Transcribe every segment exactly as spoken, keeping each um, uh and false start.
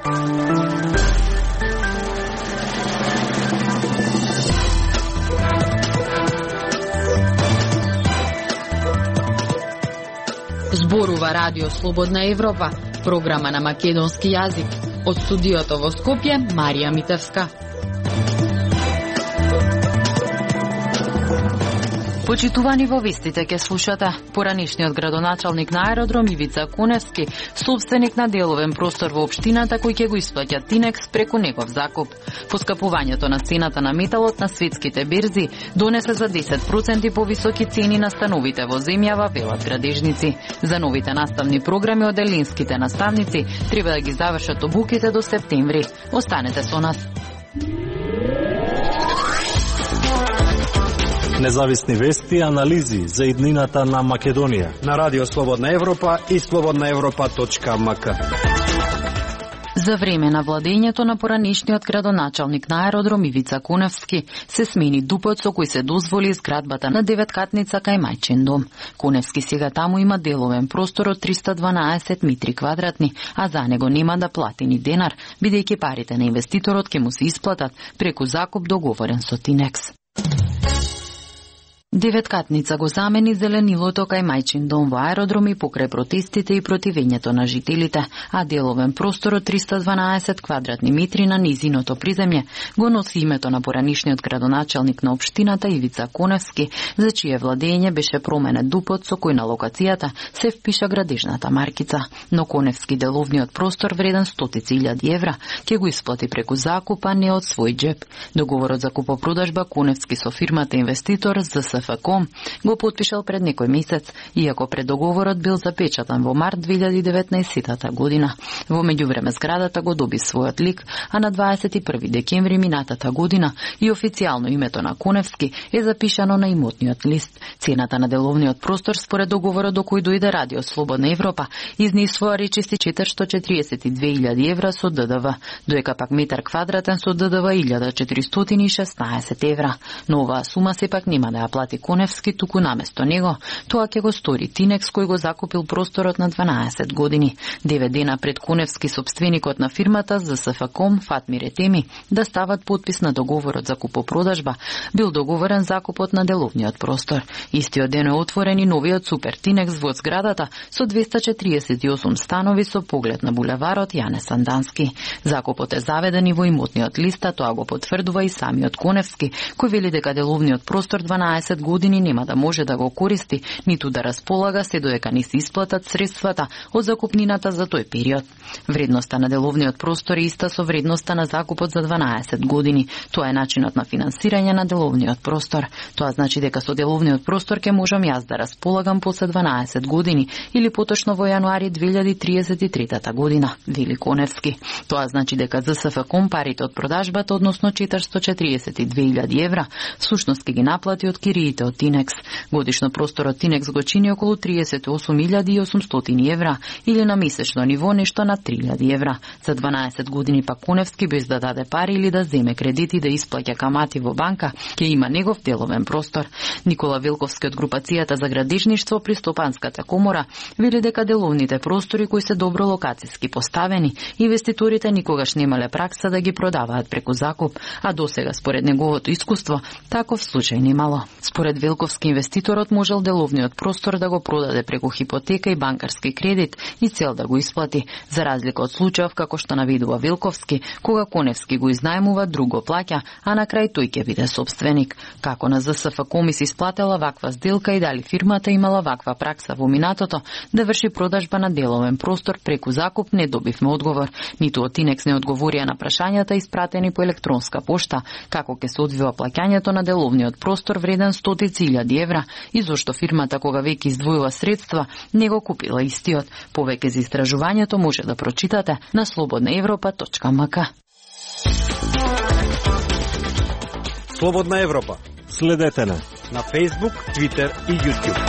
Зборува Радио Слободна Европа, програма на македонски јазик. Од студиото во Скопје, Марија Митевска. Почитувани во вестите ке слушате. Поранишниот градоначалник на аеродром Ивица Куневски, собственик на деловен простор во општината кој ќе го исплаќа Тинекс преку негов закуп. Поскапувањето на цената на металот на светските берзи донесе за десет проценти повисоки цени на становите во земјава, велат градежници. За новите наставни програми од елинските наставници треба да ги завршат обуките до септември. Останете со нас. Независни вести и анализи за иднината на Македонија на Радио Слободна Европа и слободна европа точка ем ка. За време на владењето на поранишниот градоначалник на аеродром Ивица Куневски се смени дупот со кој се дозволи изградбата на деветкатница кај мајчин дом. Куневски сега таму има деловен простор од триста дванаесет метри квадратни, а за него нема да плати ни денар, бидејќи парите на инвеститорот ќе му се исплатат преку закуп договорен со Тинекс. Деветкатница го замени зеленилото кај мајчин дом во аеродром и покрај протестите и противењето на жителите, а деловен простор од триста дванаесет квадратни метри на низиното приземје го носи името на поранишниот градоначалник на општината Ивица Куневски, за чие владење беше променет дупот со кој на локацијата се впиша градежната маркица. Но Куневски деловниот простор вреден стотици илјади евра ќе го исплати преку закуп, а не од свој џеп. Договорот за купопродажба Куневски со фирмата инвеститор за ЗСФКом го потпишал пред некој месец, иако преддоговорот бил запечатан во март две илјади и деветнаесетта година. Во меѓувреме зградата го доби својот лик, а на дваесет и први декември минатата година и официјално името на Куневски е запишано на имотниот лист. Цената на деловниот простор според договорот до кој дојде Радио Слободна Европа изнесува речиси четириста четириесет и две илјади евра со ДДВ, доека пак метар квадратен со ДДВ илјада четиристотини и шеснаесет евра. Но оваа сума сепак нема да ја плати Куневски, туку наместо него тоа ќе го стори Тинекс, кој го закупил просторот на дванаесет години. Девет дена пред Куневски, собственикот на фирмата за ЗСФКом Фатмир Етеми да стават подпис на договорот за купопродажба, бил договорен закупот на деловниот простор. Истиот ден е отворен и новиот супер Тинекс во зградата со двеста четириесет и осум станови со поглед на булеварот Јане Сандански. Закупот е заведен и во имотниот лист, тоа го потврдува и самиот Куневски, кој вели дека деловниот простор дванаесет години нема да може да го користи, ниту да располага се додека не се исплатат средствата од закупнината за тој период. Вредноста на деловниот простор е иста со вредноста на закупот за дванаесет години. Тоа е начинот на финансирање на деловниот простор. Тоа значи дека со деловниот простор ќе можам јас да располагам после дванаесет години или поточно во јануари две илјади триесет и трета година, вели Куневски. Тоа значи дека ЗСФКом парите од продажбата, односно четиристотини и четириесет и две илјади евра, всушност ќе ги наплати од кириите од Тинекс. Годишно просторот Тинекс го чини околу триесет и осум илјади и осумстотини евра или на месечно ниво нешто на три илјади евра. За дванаесет години пак Куневски без да даде пари или да земе кредити да исплаќа камати во банка, ќе има негов деловен простор. Никола Велковски од групацијата за градежништво при Стопанската комора вели дека деловните простори кои се добро локацијски поставени, инвеститорите никогаш немале пракса да ги продаваат преку закуп, а досега според неговото искуство таков случај немало. Според Велковски, инвеститорот можел деловниот простор да го продаде преку хипотека и банкарски кредит и цел да го исплати, за разлика од случајов како што наведува Велковски, кога Куневски го изнајмува, друг го плаќа, а на крај тој ќе биде собственик. Како на ЗСФКом се исплатела ваква сделка и дали фирмата имала ваква пракса во минатото да врши продажба на деловен простор преку закуп, не добивме одговор. Ниту од Тинекс не одговорија на прашањата испратени по електронска пошта, како ќе се одвива плаќањето на деловниот простор вреден стотици илјади евра и зошто фирмата кога веќе издвоила средства не го купила истиот. Повеќе за истражувањето може да прочитате на слободна европа точка ем ка. Слободна Европа. Следете на на Facebook, Twitter и YouTube.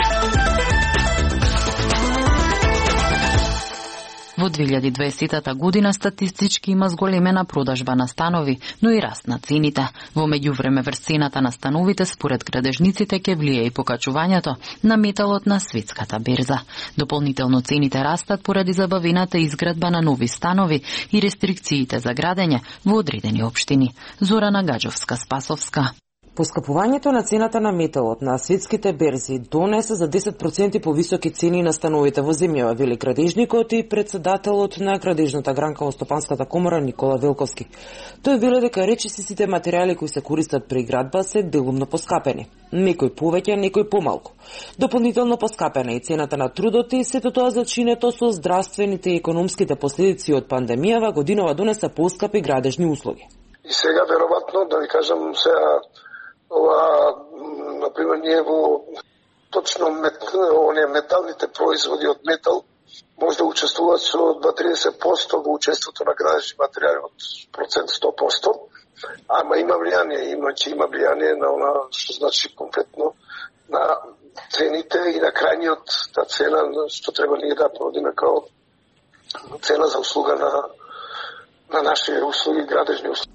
Во Во две илјади и дваесетта година статистички има зголемена продажба на станови, но и раст на цените. Во меѓувреме врз цената на становите според градежниците ќе влие и покачувањето на металот на светската берза. Дополнително цените растат поради забавената изградба на нови станови и рестрикциите за градење во одредени општини. Зорана Гаджовска-Спасовска. Поскапувањето на цената на металот на светските берзи донесе за десет проценти повисоки цени на становите во земјава, вели градежникот и председателот на градежната гранка во Стопанската комора Никола Велковски. Тој вели дека речиси сите материјали кои се користат при градба се делумно поскапени. Некој повеќе, некој помалку. Дополнително поскапена и цената на трудот и сето тоа зачинето со здравствените и економските последици од пандемијава годинова донесе поскапи градежни услуги. И сега веројатно да ви кажам сега ова, например, ние во точно мет, оние металните производи од метал може да учествуваат со до триесет проценти во учеството на градежни материјали од процент сто проценти, ама има влијание, има че има влијание на она што значи конкретно на цените и на крајниот та цена што треба ние да продиме као цена за услуга на на наши услуги, градежни услуги.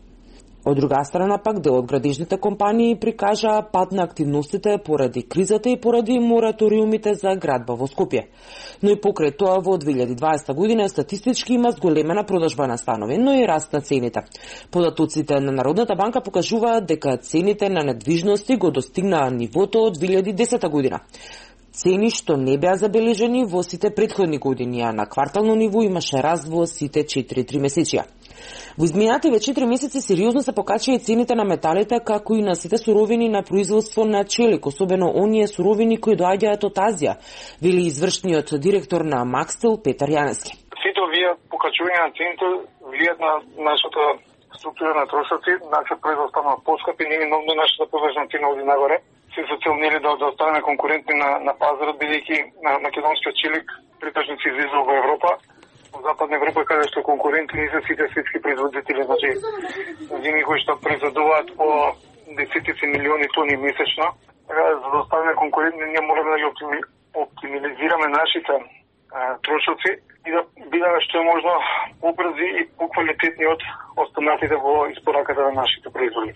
Од друга страна пак дел од градежните компании прикажаа пад на активностите поради кризата и поради мораториумите за градба во Скопје. Но и покрај тоа во две илјади и дваесетта година статистички има зголемена продажба на станови, но и раст на цените. Податоците на Народната банка покажуваат дека цените на недвижности го достигнаа нивото од две илјади и десета година. Цени што не беа забележени во сите претходни години, а на квартално ниво имаше раст во сите четири тримесечија. Во изминативе четири месеци сериозно се покачија и цените на металите, како и на сите суровини на производство на челик, особено оние суровини кои доаѓаат од Азија, вели извршниот директор на Макстел Петар Јанески. Сите овие покачувања на цените влијат на нашата структура на трошоци, наша производство на поскапи, неминовно нашата површна цена оди нагоре. Се за цел нели да, да останеме конкурентни на, на пазарот, бидејќи на македонскиот челик притежно се излиза во Европа. Во Западна Европа каде што конкурентни се сите светски производители, значи земи кои што произведуваат по десетици милиони тони месечно. Така за да останеме конкурентни ние можеме да ги оптимизираме нашите а, трошоци и да бидеме што е можно побрзи и поквалитетни од останатите во испораката на нашите производи.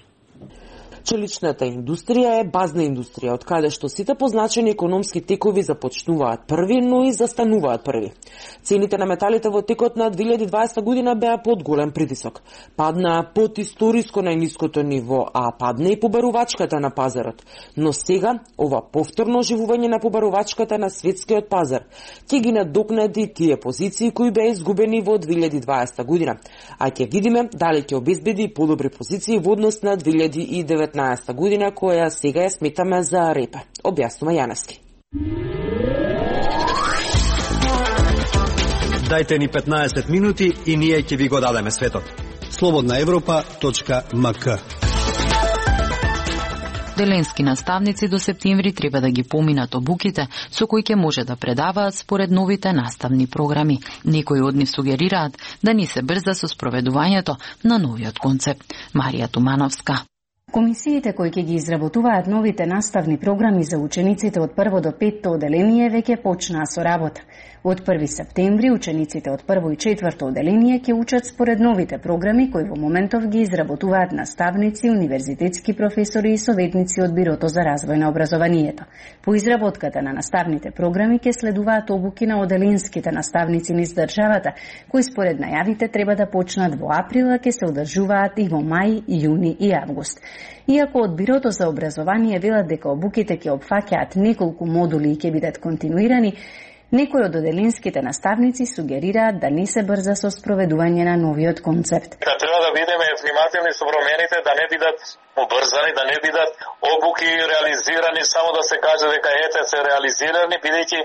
Челичната индустрија е базна индустрија, од каде што сите позначени економски текови започнуваат први, но и застануваат први. Цените на металите во текот на две илјади и дваесетта година беа под голем притисок. Падна под историско најниското ниво, а падна и побарувачката на пазарот. Но сега, ова повторно оживување на побарувачката на светскиот пазар ќе ги надокнади тие позиции кои беа изгубени во две илјади и дваесетта година, а ќе видиме дали ќе обезбеди подобри позиции во однос на две илјади и деветнаесетта година, која сега ја сметаме за репер, објаснува Јанески. Дајте ни петнаесет минути и ние ќе ви го дадеме светот. слободна европа точка ем ка. Деленски наставници до септември треба да ги поминат обуките со кои ќе може да предаваат според новите наставни програми. Некои од нив сугерираат да ни се брза со спроведувањето на новиот концепт. Марија Тумановска. Комисиите кои ќе ги изработуваат новите наставни програми за учениците од прво до петто оделение веќе почнаа со работа. Од први септември учениците од прво и четврто оделение ќе учат според новите програми кои во моментов ги изработуваат наставници, универзитетски професори и советници од Бирото за развој на образованието. По изработката на наставните програми ќе следуваат обуки на оделинските наставници низ државата, кои според најавите треба да почнат во април, а ќе се одржуваат и во мај, јуни и август. Иако од Бирото за образование велат дека обуките ќе опфаќаат неколку модули и ќе бидат континуирани, некои од оделинските наставници сугерираат да не се брза со спроведување на новиот концепт. Да треба да бидеме внимателни со промените, да не бидат обрзани, да не бидат обуки реализирани, само да се каже дека ете се реализирани, бидејќи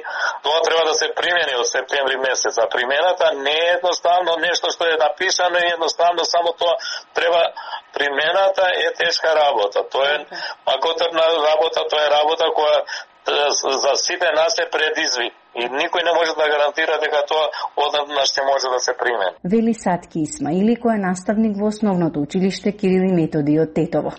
тоа треба да се примени од септември месец. А примената не е едноставно нешто што е напишано и едноставно само тоа треба. Примената е тешка работа. Тоа е макотерна работа, тоа е работа која за сите нас е предизвик и никој не може да гарантира дека тоа однаднаш ќе може да се примени. Вели Сатки Исмаили, кој е наставник во основното училиште Кирил и Методи од Тетово.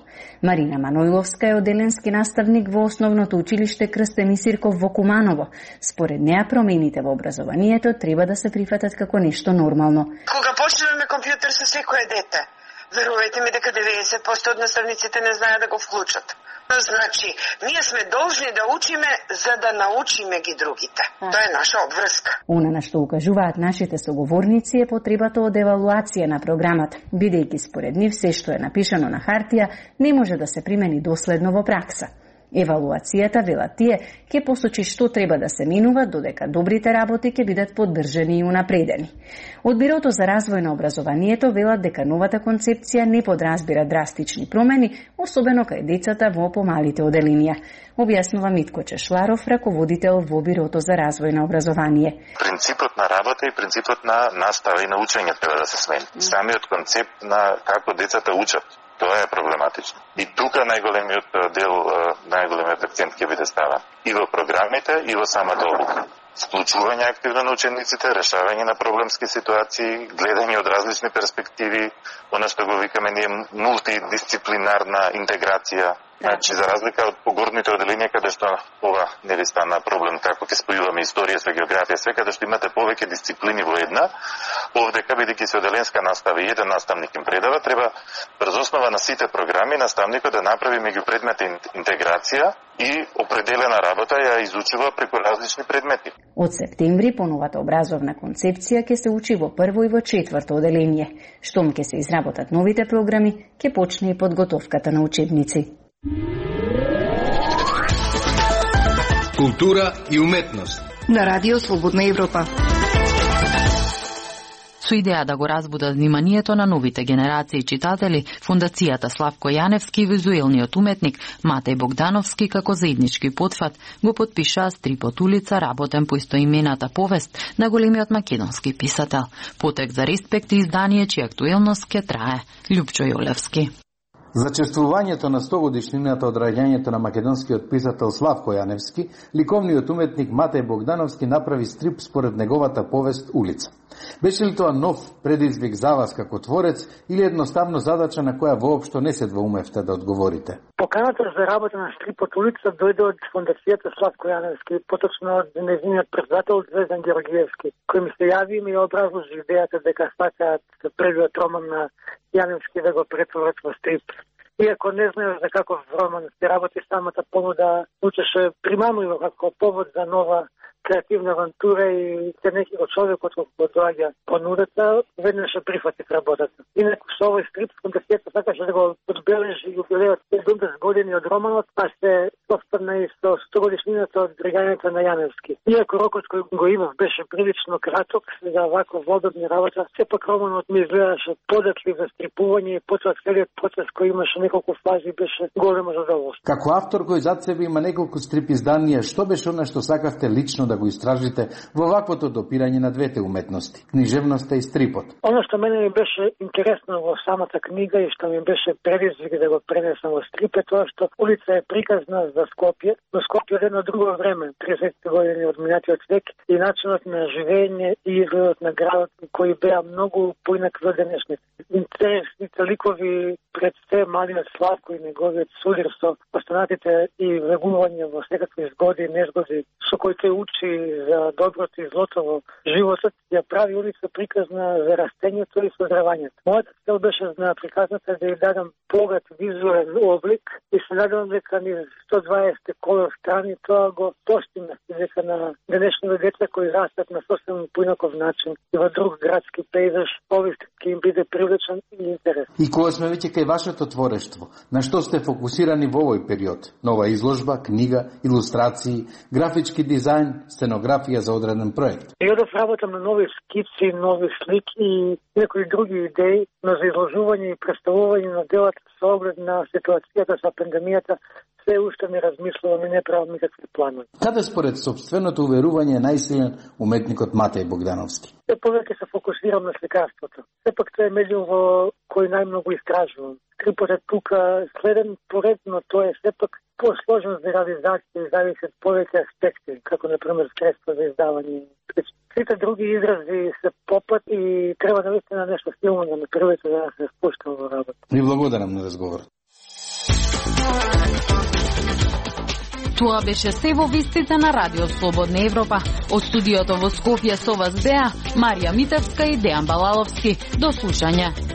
Марина Манойловска е оделенски наставник во основното училиште Крстен и Сирков во Куманово. Според неа промените во образованието треба да се прифатат како нешто нормално. Кога почнеме компјутер со секое дете, верувајте ми дека деветдесет проценти од наставниците не знаат да го вклучат. Значи, ние сме должни да учиме за да научиме ги другите. Тоа е наша обврска. Она на што укажуваат нашите соговорници е потребата од евалуација на програмата, бидејќи според нив се што е напишано на хартија не може да се примени доследно во пракса. Евалуацијата, велат тие, ќе посочи што треба да се минува, додека добрите работи ќе бидат поддржани и унапредени. Од Бирото за развој на образованието велат дека новата концепција не подразбира драстични промени, особено кај децата во помалите оделенија. Објаснува Митко Чешларов, раководител во Бирото за развој на образование. Принципот на работа и принципот на настава и на учење треба да се смени. Самиот концепт на како децата учат, тоа е проблематично. И тука најголемиот дел, најголемиот акцент ќе биде ставен и во програмите, и во самата обука. Вклучување активно на учениците, решавање на проблемски ситуации, гледање од различни перспективи, она што го викаме ние мултидисциплинарна интеграција. Значи, за разлика од погорните оделенија, каде што ова не ви стана проблем, како ќе спојуваме историја со географија, све, каде што имате повеќе дисциплини во една, овдека, бидејќи се оделенска настава и еден наставник им предава, треба врз основа на сите програми наставникот да направи меѓу предмети интеграција и определена работа ја изучува преку различни предмети. Од септември по новата образовна концепција ќе се учи во прво и во четврто оделение. Штом ќе се изработат новите програми, ќе почне и подготовката на учебници. Култура и уметност на Радио Слободна Европа. Со идеја да го разбудат вниманието на новите генерации читатели, Фондацијата Славко Јаневски и визуелниот уметник Матеј Богдановски како заеднички потфат го потпишаа стрипот Улица, работен по истоимената повест на големиот македонски писател. Потек за респект и издание чија актуелност ќе трае. Љупчо Јолевски. За чествувањето на сто годишнината од раѓањето на македонскиот писател Славко Јаневски, ликовниот уметник Матеј Богдановски направи стрип според неговата повест Улица. Беше ли тоа нов предизвик за вас како творец или едноставно задача на која воопшто не се двоумевте да одговорите? Поканата за работа на стрипот Улица дојде од Фондацијата Славко Јаневски, поточно од нејзиниот председател Звездан Георгиевски, кој ми се јави и ми образложи идејата дека сакаат првиот роман на Јаневски да го претворат во стрип. Иако не знаеш за каков роман се работи, самата понуда звучеше примамливо како повод за нова креативна авантура и се некој човекот кој доаѓа понудата, веднаш прифати работата. Инаку со овој стрип Фондацијата сакаше да го одбележи јубилеот седумдесет години од романот, а се совпадна и со сто годишнината од раѓањето на Јаневски. Иако рокот кој го имав беше прилично краток за вако водобни работа, сепак романот ми изгледаше податлив за стрипување и потоа целиот процес кој имаше неколку фази беше големо задоволство. Како автор кој зад себе има неколку стрип изданија, што беше она што сакавте лично да го истражите во ваквото допирање на двете уметности, книжевноста и стрипот? Оно што мене ми беше интересно во самата книга и што ми беше предизвик да го пренесам во стрип е тоа што Улица е приказна за Скопје, но Скопје од едно друго време, тридесетте години од минатиот век, и начинот на живење и изгледот на градот кои беа многу поинакви од денешните. Интересните ликови пред се малиот Славко и неговиот судир со останатите и влегување во секакви згоди и незгоди со кои тој учи за доброто и злото во животот, ја прави Улица приказна за растењето и создравањето. Мојата цел беше на приказната да ја дадам богат визуелен облик и се надевам дека ни сто дваесет колор страни тоа го постигна, дека на денешните деца кои растат на сосем поинаков начин и во друг градски пейзаж, овој ќе им биде привлечен и интересен. И кога сме веќе кај вашето творештво, на што сте фокусирани во овој период? Нова изложба, книга, илустрации, графички дизајн, сценографија за одреден проект? Периодов работам на нови скици, нови слики и некои други идеи, но за изложување и представување на делата со оглед на ситуацијата со пандемијата се уште не размислувам и не правам никакви планови. Каде според собственото уверување е најсилен уметникот Матеј Богдановски? Се повеќе се фокусирам на сликарството. Сепак тоа е медиум во кој најмногу истражувам. Трипотот тука следен поред, но тоа е сепак посложен за реализација и зависи од повеќе аспекти, како например средства за издавање. Сите други изрази се попат и треба наистина нешто силно да направите да се спуштам во работа. Ви благодарам на разговорот. Тоа беше се во вестите на Радио Слободна Европа. Од студиото во Скопје со вас беа Марија Митевска и Дејан Балаловски. До слушање.